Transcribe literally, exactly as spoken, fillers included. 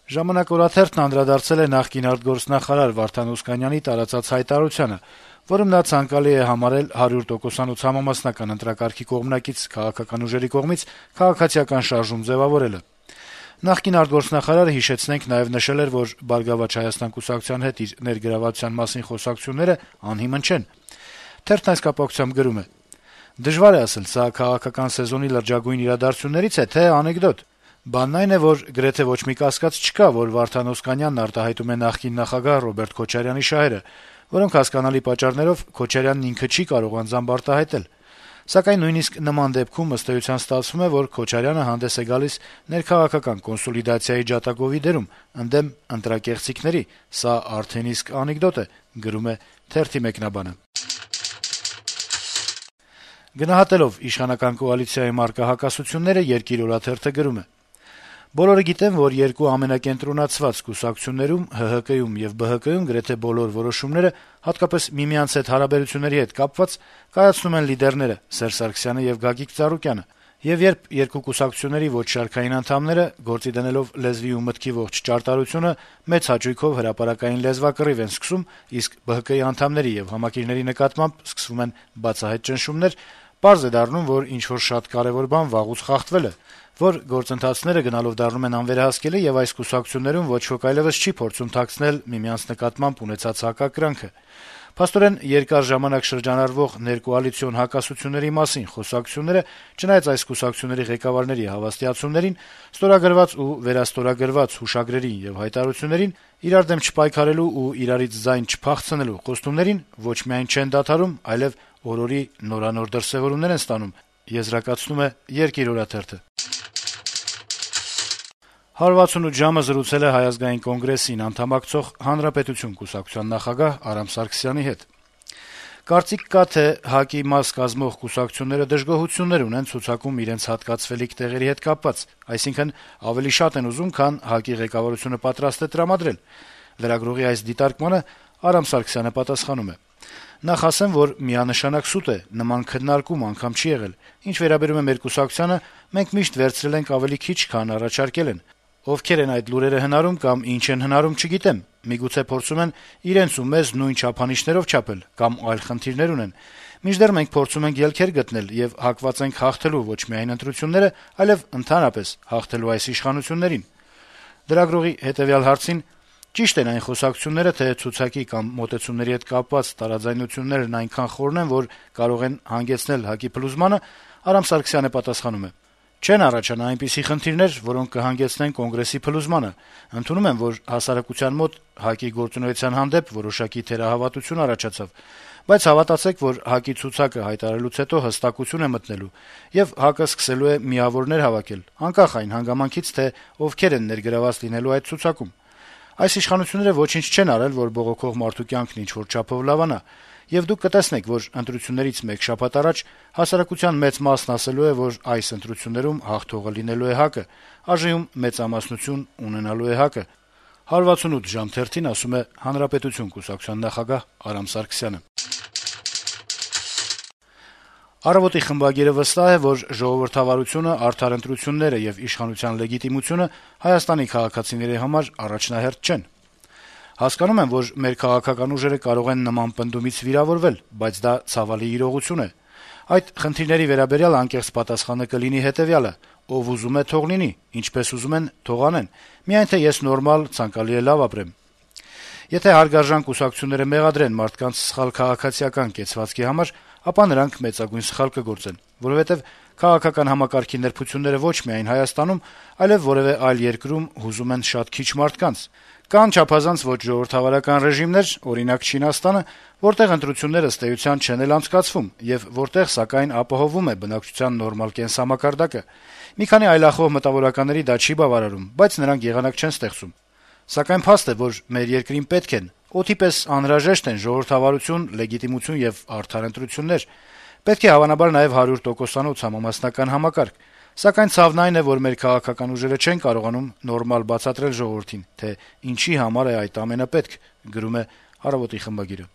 «Ժամանակ» օրաթերթն անդրադարձել է նախկին արտգործնախարար Վարդան Օսկանյանի տարածած հայտարարությանը, որում նա ցանկալի է համարել հարյուր տոկոսանոց համամասնական ընտրակարգի կողմնակից քաղաքական ուժերի կողմից քաղաքացիական շարժում ձեւավորելը։ Նախկին արտգործնախարարը, հիշեցնենք, նաեւ նշել էր, որ «Բարգավաճ Հայաստան» կուսակցության հետ իր ներգրավվածության մասին խոսակցությունները անհիմն չեն։ Թերթն այս կապակցությամբ գրում է. «Դժվար է ասել, սա քաղաքական սեզոնի լրջագույն իրադարձություններից է, թե անեկդոտ։ Բանն այն է, որ գրեթե ոչ մի կասկած չկա, որ Վարդան Օսկանյանն արտահայտում է նախկին նախագահ Ռոբերտ Քոչարյանի շահերը, որոնք հասկանալի պատճառներով Քոչարյանն ինքը չի կարող անձամբ արտահայտել։ Սակայն նույնիսկ նման դեպքում ըստ էության ստացվում է, որ Քոչարյանը հանդես է գալիս ներքաղաքական կոնսոլիդացիայի ջատագովի դերում, ընդդեմ ընտրակեղծիքների։ Սա արդեն իսկ անեկդոտ է», գրում է թերթի մեկնաբանը։ Գնահատելով իշխանական կոալիցիայի մարտկա հակասությունները, «Երկիր» օրաթերթը գրում է. - «Բոլորը գիտեն, որ երկու ամենակենտրոնացված կուսակցություններում՝ Հ Հ Կ-ում եւ Բ Հ Կ-ում գրեթե բոլոր որոշումները, հատկապես միմյանց հետ հարաբերությունների հետ կապված, կայացնում են լիդերները՝ Սերժ Սարգսյանը եւ Գագիկ Ծառուկյանը։ Եվ երբ երկու կուսակցությունների ոչ շարքային անդամները, գործի դնելով լեզվի ու մտքի ողջ ճարտարությունը, մեծ հաճույքով հրապարակային լեզվակռիվ են սկսում, իսկ Բ Հ Կ-ի անդամների եւ համակիրների նկատմամբ սկսվում են բացահայտ ճնշումներ, պարզ է դառնում, որ ինչ-որ շատ կարեւոր բան վաղուց խախտվել է, որ գործընթացները գնալով դառնում են անվերահսկելի եւ այս կուսակցություններում ոչ ոք այլեւս չի փորձում թաքցնել միմյանց նկատմամբ ունեցած հակակրանքը։ Փաստորեն, երկար ժամանակ շրջանառվող ներկոալիցիոն հակասությունների մասին խոսակցությունները, չնայած այս կուսակցությունների ղեկավարների հավաստիացումներին, ստորագրված ու վերաստորագրված հուշագրերին եւ հայտարարություններին, իրար դեմ չպայքարելու ու իրարից ձայն չփախցնելու խոստումներին ոչ միայն չեն դադարում, այլեւ օր-օրի նորանոր դրսեւորումներ են ստանում», եզրակացնում է «Երկիր» օրաթերթը։ հարյուր վաթսունութ ժամը զրուցել է Հայ ազգային կոնգրեսին անդամակցող Հանրապետություն կուսակցության նախագահ Արամ Սարգսյանի հետ։ Կարծիք կա, թե ՀԱԿ-ի մաս կազմող կուսակցությունները դժգոհություններ ունեն ցուցակում իրենց հատկացվելիք տեղերի հետ կապված, այսինքն ավելի շատ են ուզում, քան ՀԱԿ-ի ղեկավարությունը պատրաստ է տրամադրել։ Լրագրողի այս դիտարկմանը Արամ Սարգսյանը պատասխանում է. «Նախ ասեմ, որ միանշանակ սուտ է, նման քննարկում անգամ չի եղել։ Ինչ վերաբերում է մեր կուսակցությանը, մենք միշտ վերցրել ենք ավելի քիչ, քան առաջարկել են։ Ովքեր են այդ լուրերը հնարում կամ ինչ են հնարում, չգիտեմ։ Միգուցե փորձում են իրենց ու մեզ նույն չափանիշներով չափել կամ այլ խնդիրներ ունեն։ Մինչդեռ մենք փորձում ենք ելքեր գտնել եւ հակված ենք հաղթելու ոչ միայն ընտրությունները, այլեւ ընդհանրապես հաղթելու այս իշխանություններին»։ Լրագրողի հետեւյալ հարցին. «Ճիշտ են այն խոսակցությունները, թե ցուցակի կամ մոտեցումների հետ կապված տարաձայնություններն այնքան խորն են, որ կարող են հանգեցնել ՀԱԿ-ի փլուզմանը», Արամ Սարգսյանը պատասխանում է. «Չեն առաջանա այնպիսի խնդիրներ, որոնք կհանգեցնեն Կոնգրեսի փլուզմանը։ Ընդունում եմ, որ հասարակության մոտ ՀԱԿ-ի գործունեության հանդեպ որոշակի թերահավատություն առաջացավ, բայց հավատացեք, որ ՀԱԿ-ի ցուցակը հայտարարելուց հետո հստակություն է մտնելու, եւ ՀԱԿ-ը սկսելու է միավորներ հավաքել, անկախ այն հանգամանքից, թե ովքեր են ներգրաված լինելու այդ ցուցակում։ Այս իշխանությունները ոչինչ չեն արել, որ բողոքող մարդու կյանքն ինչ-որ չափով լավանա, եւ դուք կտեսնեք, որ ընտրություններից մեկ շաբաթ առաջ հասարակության մեծ մասն ասելու է, որ այս ընտրություններում հաղթողը լինելու է ՀԱԿ-ը, ԱԺ-ում մեծամասնություն ունենալու է ՀԱԿ-ը», հարյուր վաթսունութ ժամ թերթին ասում է Հանրապետություն կուսակցության նախագահ Արամ Սարգսյանը։ «Առավոտ»-ի խմբագիրը վստահ է, որ ժողովրդավարությունը, արդար ընտրությունները եւ իշխանության լեգիտիմությունը Հայաստանի քաղաքացիների համար առաջնահերթ չեն։ «Հասկանում եմ, որ մեր քաղաքական ուժերը կարող են նման պնդումից վիրավորվել, բայց դա ցավալի իրողություն է։ Այդ խնդիրների վերաբերյալ անկեղծ պատասխանը կլինի հետեւյալը. ով ուզում է, թող լինի, ինչպես ուզում են, թող անեն, միայն թե ես նորմալ, ցանկալի է լավ ապրեմ։ Եթե հարգարժան կուսակցությունները մեղադրեն մարդկանց սխալ քաղաքացիական կեցվածքի համար, ապա նրանք մեծագույն սխալ կգործեն, որովհետեւ քաղաքական համակարգի նրբությունները ոչ միայն Հայաստանում, այլեւ որեւէ այլ երկրում հուզում են շատ քիչ մարդկանց։ Կան չափազանց ոչ ժողովրդավարական ռեժիմներ, օրինակ Չինաստանը, որտեղ ընտրությունները ըստ էության չեն էլ անցկացվում, եւ որտեղ սակայն ապահովում է բնակչության նորմալ կենսամակարդակը։ Մի քանի այլախոհ մտավորականների դա չի բավարարում, բայց նրանք եղանակ չեն ստեղծում։ Սակայն փաստ է, որ մեր երկրին պետք են, օդի պես անհրաժեշտ են ժողովրդավարություն, լեգիտիմություն եւ արդար ընտրություններ։ Պետք է հավանաբար նաեւ հարյուր տոկոսանոց համամասնական համակարգ։ Սակայն ցավն այն է, որ մեր քաղաքական ուժերը չեն կարողանում նորմալ բացատրել ժողովրդին, թե ինչի համար է այդ ամենը պետք», գրում է «Առավոտ»-ի խմբագիրը։